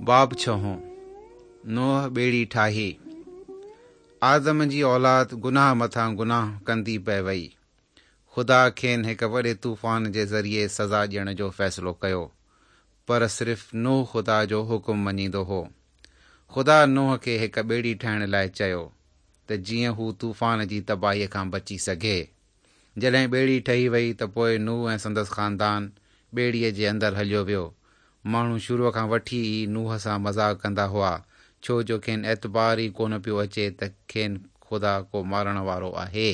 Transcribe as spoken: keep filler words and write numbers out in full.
باب ڇهون، نوح ٻيڙي ٺاهي. آدم جي اولاد گناهه مٿان گناهه ڪندي پئي وئي. خدا کين هڪ وڏي طوفان جي ذريعي سزا ڏيڻ جو فيصلو ڪيو، پر صرف نوح خدا جو حڪم مڃيندو هو. خدا نوح کي هڪ ٻيڙي ٺاهڻ لاء چيو ته جيئن هو طوفان جي تباهيء کان بچي سگهي. جڏهن ٻيڙي ٺهي وئي ته پوء نوح ۽ سندس خاندان ٻيڙيء جي اندر هليو ويو. ماڻهو شروع کان وٺي ئي نوح سان مذاق ڪندا هئا، ڇو جو کين اعتبار ئي ڪونه پيو اچي ته کين خدا ڪو مارڻ وارو آهي.